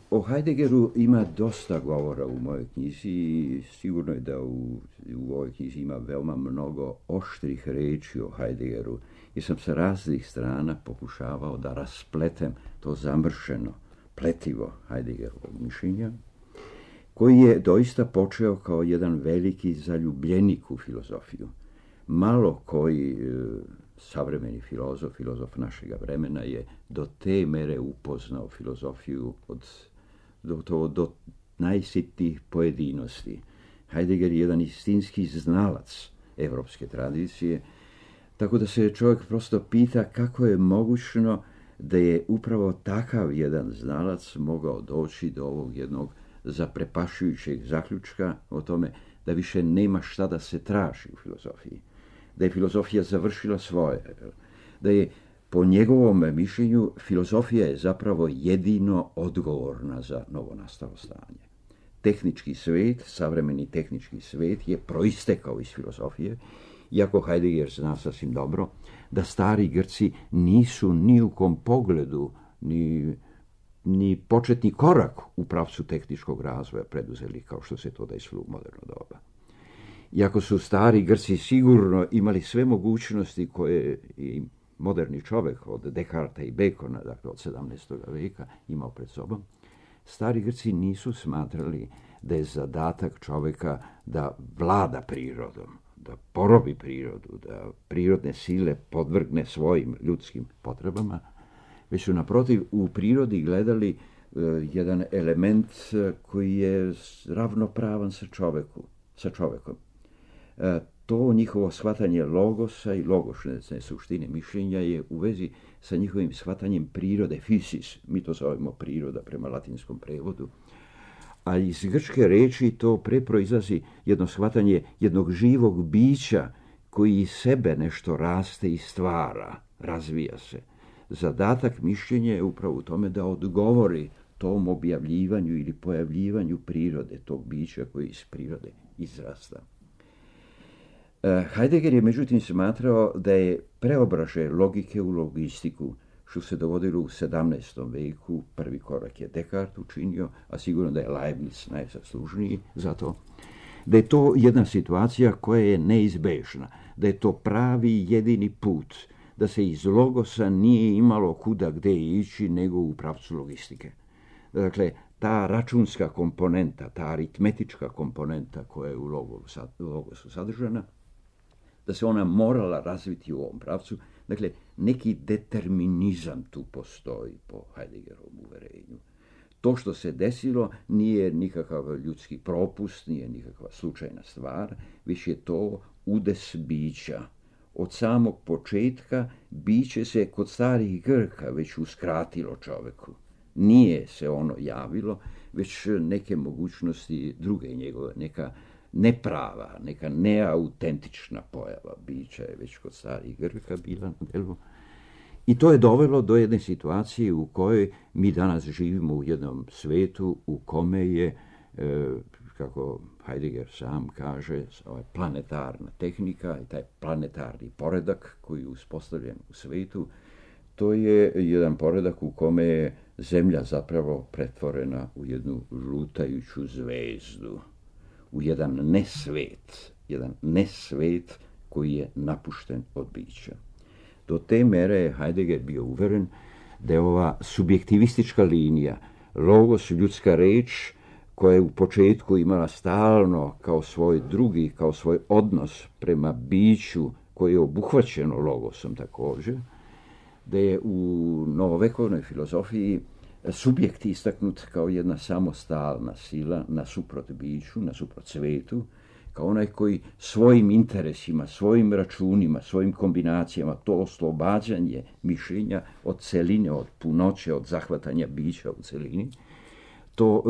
O Heideggeru ima dosta govora u mojoj knjizi i sigurno je da u ovoj knjizi ima veoma mnogo oštrih reči o Heideggeru i sam sa raznih strana pokušavao da raspletem to zamršeno pletivo Heideggerovog mišljenja, koji je doista počeo kao jedan veliki zaljubljenik u filozofiju. Malo koji savremeni filozof našega vremena je do te mere upoznao filozofiju do najsitnijih pojedinosti. Heidegger je jedan istinski znalac evropske tradicije, tako da se čovjek prosto pita kako je mogućno da je upravo takav jedan znalac mogao doći do ovog jednog zaprepašujućeg zaključka o tome da više nema šta da se traži u filozofiji, da je filozofija završila svoje, da je po njegovom mišljenju filozofija je zapravo jedino odgovorna za novonastalo stanje. Tehnički svet, savremeni tehnički svet je proistekao iz filozofije, iako Heidegger zna sasvim dobro da stari Grci nisu ni u kom pogledu ni početni korak u pravcu tehničkog razvoja preduzeli kao što se to desilo u moderno doba. Iako su stari Grci sigurno imali sve mogućnosti koje i moderni čovjek od Descartesa i Bacona, dakle od 17. veka, imao pred sobom, stari Grci nisu smatrali da je zadatak čovjeka da vlada prirodom, da porobi prirodu, da prirodne sile podvrgne svojim ljudskim potrebama, već su naprotiv u prirodi gledali jedan element koji je ravnopravan sa čovjekom. To njihovo shvatanje logosa i logošne suštine mišljenja je u vezi sa njihovim shvatanjem prirode, physis, mi to zovemo priroda prema latinskom prevodu, a iz grčke reči to proizlazi jedno shvatanje jednog živog bića koji iz sebe nešto raste i stvara, razvija se. Zadatak mišljenja je upravo u tome da odgovori tom objavljivanju ili pojavljivanju prirode, tog bića koji iz prirode izrasta. Heidegger je međutim smatrao da je preobražaj logike u logistiku, što se dogodilo u 17. veku, prvi korak je Descartes učinio, a sigurno da je Leibniz najzaslužniji za to, da je to jedna situacija koja je neizbežna, da je to pravi jedini put, da se iz logosa nije imalo kuda gde ići nego u pravcu logistike. Dakle, ta računska komponenta, ta aritmetička komponenta koja je u logosu sadržana, da se ona morala razviti u ovom pravcu. Dakle, neki determinizam tu postoji po Heideggerovom uverenju. To što se desilo nije nikakav ljudski propust, nije nikakva slučajna stvar, već je to udes bića. Od samog početka biće se kod starih Grka već uskratilo čoveku. Nije se ono javilo, već neke mogućnosti druge njegove, neka neprava, neka neautentična pojava bića je već kod starih Grka bila na delu. I to je dovelo do jedne situacije u kojoj mi danas živimo u jednom svetu u kome je, kako Heidegger sam kaže, planetarna tehnika i taj planetarni poredak koji je uspostavljen u svetu, to je jedan poredak u kome je Zemlja zapravo pretvorena u jednu žutajuću zvezdu, u jedan nesvet koji je napušten od bića. Do te mere je Heidegger bio uveren da je ova subjektivistička linija, logos, ljudska reč, koja je u početku imala stalno kao svoj drugi, kao svoj odnos prema biću koje je obuhvaćeno logosom također, da je u novovekovnoj filozofiji subjekt istaknut kao jedna samostalna sila nasuprot biću, nasuprot svetu, kao onaj koji svojim interesima, svojim računima, svojim kombinacijama, to oslobađanje mišljenja od celine, od punoće, od zahvatanja bića u celini, to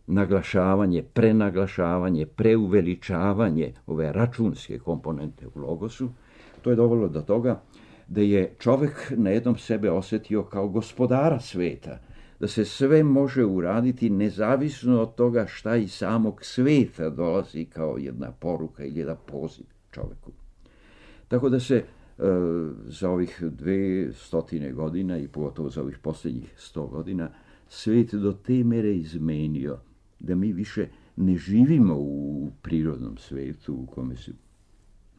naglašavanje, prenaglašavanje, preuveličavanje ove računske komponente u logosu, to je dovelo do toga da je čovjek na jednom sebe osjetio kao gospodara sveta, da se sve može uraditi nezavisno od toga šta iz samog sveta dolazi kao jedna poruka ili jedan poziv čovjeku. Tako da se za ovih 200 godina i pogotovo za ovih posljednjih 100 godina svijet do te mere izmenio da mi više ne živimo u prirodnom svijetu u kome su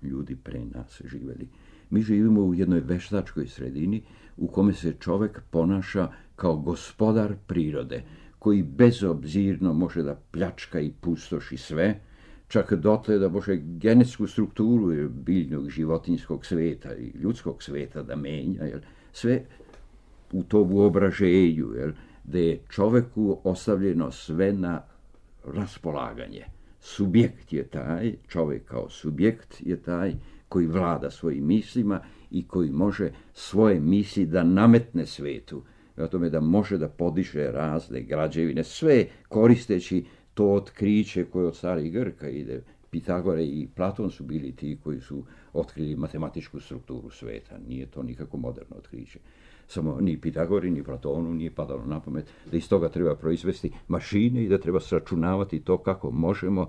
ljudi pre nas živjeli. Mi živimo u jednoj veštačkoj sredini u kome se čovjek ponaša kao gospodar prirode, koji bezobzirno može da pljačka i pustoši sve, čak dotle da može genetsku strukturu biljnog životinjskog svijeta i ljudskog svijeta da menja, sve u tom uobraženju, da je čovjeku ostavljeno sve na raspolaganje. Subjekt je taj, čovjek kao subjekt je taj koji vlada svojim mislima i koji može svoje misli da nametne svetu, o tome da može da podiže razne građevine, sve koristeći to otkriće koje od starih Grka ide. Pitagore i Platon su bili ti koji su otkrili matematičku strukturu sveta. Nije to nikako moderno otkriće. Samo ni Pitagori, ni Platonu nije padalo na pamet da iz toga treba proizvesti mašine i da treba sračunavati to kako možemo,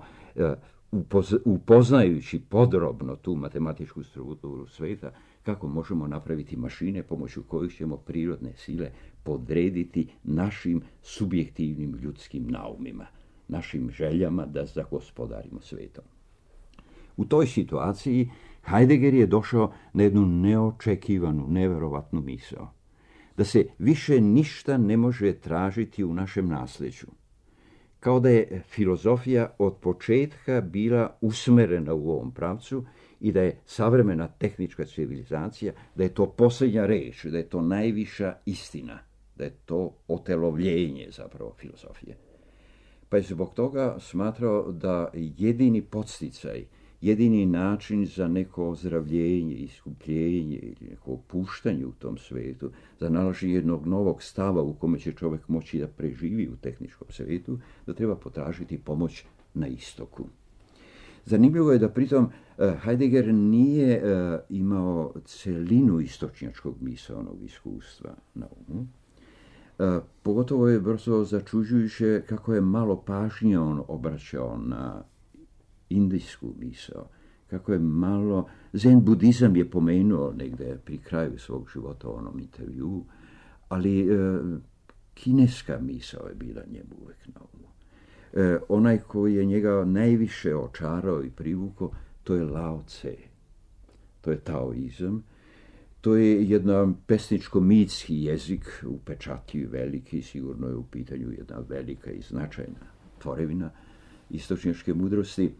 upoznajući podrobno tu matematičku strukturu sveta, kako možemo napraviti mašine pomoću kojih ćemo prirodne sile podrediti našim subjektivnim ljudskim naumima, našim željama da zagospodarimo svetom. U toj situaciji Heidegger je došao na jednu neočekivanu, neverovatnu misao. Da se više ništa ne može tražiti u našem nasljeđu. Kao da je filozofija od početka bila usmerena u ovom pravcu i da je savremena tehnička civilizacija, da je to posljednja reč, da je to najviša istina, da je to otelovljenje zapravo filozofije. Pa je zbog toga smatrao da jedini podsticaj, jedini način za neko ozdravljenje, iskupljenje ili neko opuštanje u tom svijetu, za nalaženje jednog novog stava u kome će čovjek moći da preživi u tehničkom svijetu, da treba potražiti pomoć na istoku. Zanimljivo je da pritom Heidegger nije imao celinu istočnjačkog misaonog iskustva na umu. Pogotovo je brzo začuđujuće kako je malo pažnje on obraćao na indijsku misao, kako je malo, zen budizam je pomenuo negdje pri kraju svog života u onom intervjuu, ali kineska misao je bila njemu uvijek na umu. Onaj koji je njega najviše očarao i privukao, to je Lao Tse, to je taoizam, to je jedan pesničko-mitski jezik, upečatljiv, veliki, sigurno je u pitanju jedna velika i značajna tvorevina istočnjačke mudrosti,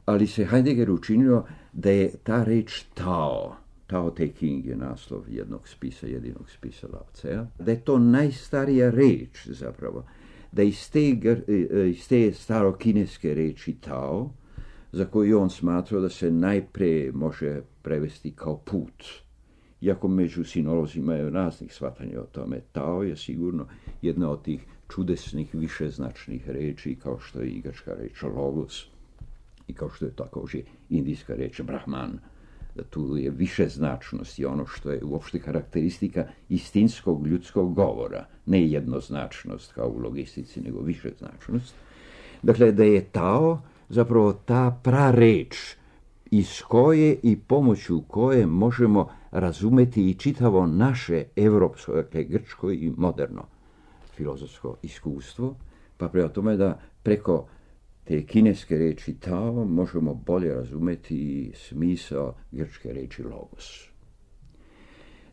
ali se Heidegger učinio da je ta reč Tao Te Ching je naslov jedinog spisa Lao Tsea, da je to najstarija reč zapravo, da iz te starokineske reči Tao, za koju on smatrao da se najprije može prevesti kao put. Iako među sinolozima je raznih shvatanja o tome, Tao je sigurno jedna od tih čudesnih višeznačnih reči, kao što je i grčka reč logos i kao što je također indijska reč Brahman. Da tu je višeznačnost i ono što je uopšte karakteristika istinskog ljudskog govora, ne jednoznačnost kao u logistici, nego višeznačnost. Dakle, da je Tao zapravo ta prareč iz koje i pomoću koje možemo razumeti i čitavo naše evropsko, dakle grčko i moderno filozofsko iskustvo, pa prema tome da preko te kineske reči Tao možemo bolje razumeti i smisao grčke reči logos.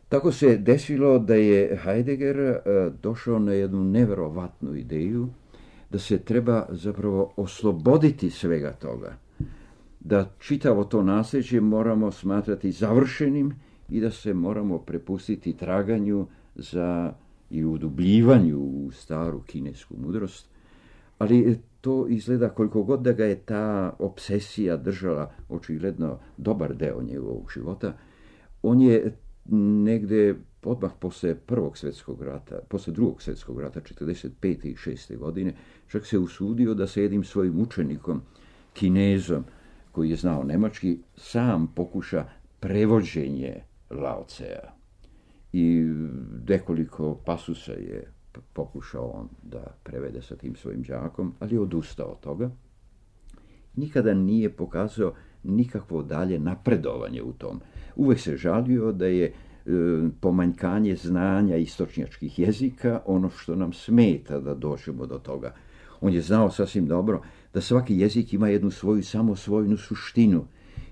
Tako se desilo da je Heidegger došao na jednu neverovatnu ideju da se treba zapravo osloboditi svega toga, da čitavo to nasljeđe moramo smatrati završenim i da se moramo prepustiti traganju za i udubljivanju u staru kinesku mudrost, ali to izgleda koliko god da ga je ta obsesija držala očigledno dobar deo njegovog života, on je negde odmah posle Prvog svjetskog rata, posle Drugog svjetskog rata, 45. i 6. godine, čak se usudio da se jednim svojim učenikom, Kinezom, koji je znao nemački, sam pokuša prevođenje Lao Tsea. I nekoliko pasusa je pokušao on da prevede sa tim svojim đakom, ali je odustao od toga. Nikada nije pokazao nikakvo dalje napredovanje u tom. Uvijek se žalio da je pomanjkanje znanja istočnjačkih jezika ono što nam smeta da dođemo do toga. On je znao sasvim dobro da svaki jezik ima jednu svoju samosvojnu suštinu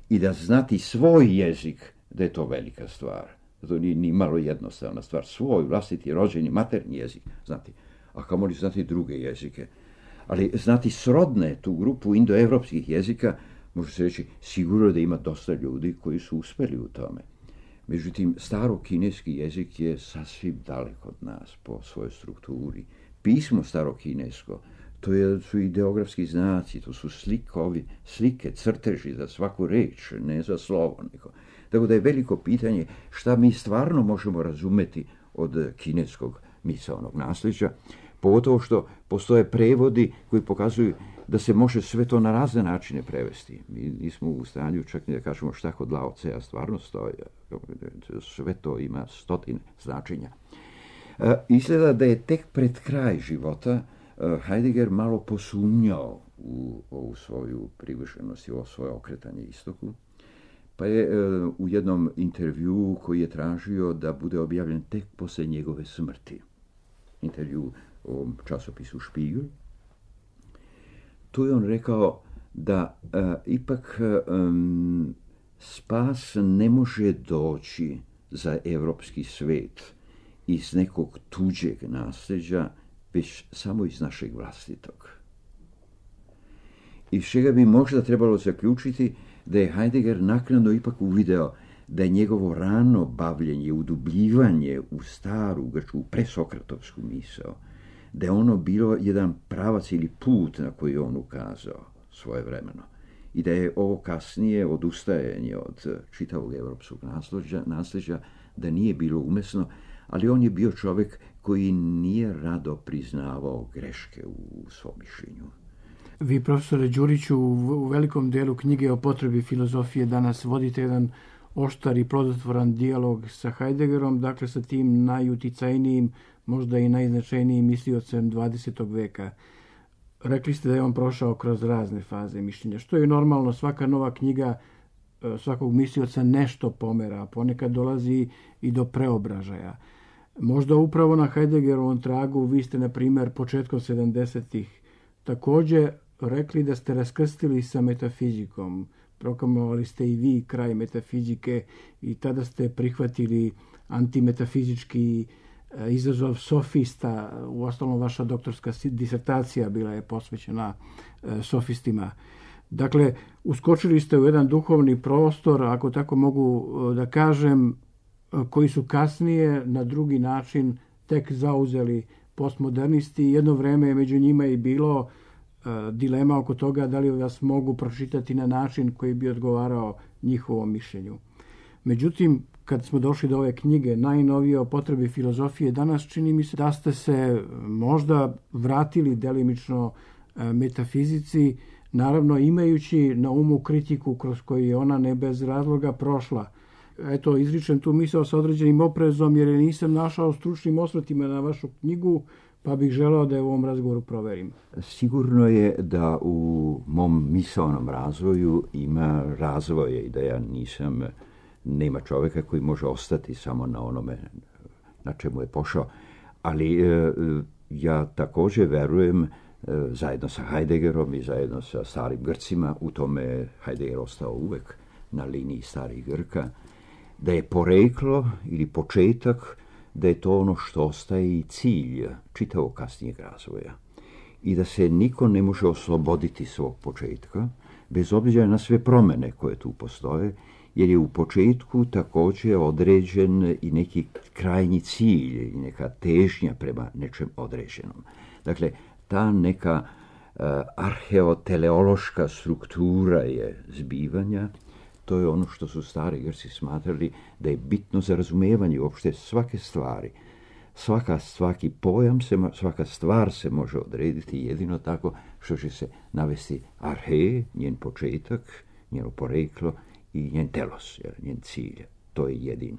i da znati svoj jezik, da je to velika stvar. To nije ni malo jednostavna stvar. Svoj vlastiti rođeni maternji jezik znati, a kamoli znati druge jezike. Ali znati srodne, tu grupu indoevropskih jezika, može se reći sigurno da ima dosta ljudi koji su uspjeli u tome. Međutim, starokineski jezik je sasvim daleko od nas po svojoj strukturi. Pismo starokinesko, to su ideografski znaci, to su slike, crteži za svaku reč, ne za slovo. Tako da je veliko pitanje šta mi stvarno možemo razumeti od kineskog misaonog nasljeđa, pogotovo što postoje prevodi koji pokazuju da se može sve to na razne načine prevesti. Mi nismo u stanju čak ni da kažemo šta kod Lao Tsea stvarno stoji. Sve to ima stotine značenja. Izgleda da je tek pred kraj života Heidegger malo posumnjao u ovu svoju privrženost i ovo svoje okretanje istoku, pa je u jednom intervjuu koji je tražio da bude objavljen tek poslije njegove smrti, intervju u časopisu Spiegel, tu je on rekao da ipak spas ne može doći za evropski svet iz nekog tuđeg nasljeđa, već samo iz našeg vlastitog. Iz čega bi možda trebalo zaključiti da je Heidegger naknadno ipak uvideo da je njegovo rano bavljenje, udubljivanje u staru grčku presokratovsku misao, da je ono bilo jedan pravac ili put na koji je on ukazao svojevremeno i da je ovo kasnije odustajanje od čitavog evropskog nasljeđa, da nije bilo umesno, ali on je bio čovjek koji nije rado priznavao greške u svom mišljenju. Vi, profesore Đuriću, u velikom delu knjige o potrebi filozofije danas vodite jedan oštar i plodotvoran dijalog sa Heideggerom, dakle sa tim najuticajnijim, možda i najznačajnijim misliocem 20. veka. Rekli ste da je on prošao kroz razne faze mišljenja, što je normalno. Svaka nova knjiga svakog mislioca nešto pomera, ponekad dolazi i do preobražaja. Možda upravo na Heideggerovom tragu vi ste, na primjer, početkom 70-ih također rekli da ste raskrstili sa metafizikom. Proklamovali ste i vi kraj metafizike i tada ste prihvatili antimetafizički izazov sofista. Uostalom, vaša doktorska disertacija bila je posvećena sofistima. Dakle, uskočili ste u jedan duhovni prostor, ako tako mogu da kažem, koji su kasnije na drugi način tek zauzeli postmodernisti. Jedno vreme je među njima i bilo dilema oko toga da li vas mogu pročitati na način koji bi odgovarao njihovom mišljenju. Međutim, kad smo došli do ove knjige, najnovije o potrebi filozofije, danas čini mi se da ste se možda vratili delimično metafizici, naravno imajući na umu kritiku kroz koju je ona ne bez razloga prošla. Eto, izričem tu misao sa određenim oprezom jer je nisam našao stručnim osvrtima na vašu knjigu, pa bih želeo da je u ovom razgovoru proverim. Sigurno je da u mom misaonom razvoju ima razvoje i da ja nema čovjeka koji može ostati samo na onome na čemu je pošao. Ali ja također verujem, zajedno sa Heideggerom i zajedno sa starim Grcima, u tome Heidegger ostao uvek na liniji starih Grka, da je poreklo ili početak, da je to ono što ostaje i cilj čitavog kasnijeg razvoja. I da se niko ne može osloboditi svog početka, bez obzira na sve promjene koje tu postoje, jer je u početku također određen i neki krajnji cilj i neka težnja prema nečem određenom. Dakle, ta neka arheoteleološka struktura je zbivanja. To je ono što su stari Grci smatrali da je bitno za razumijevanje uopšte svake stvari. Svaki pojam, svaka stvar se može odrediti jedino tako što će se navesti arhe, njen početak, njeno poreklo i njen telos, njen cilj. To je jedino.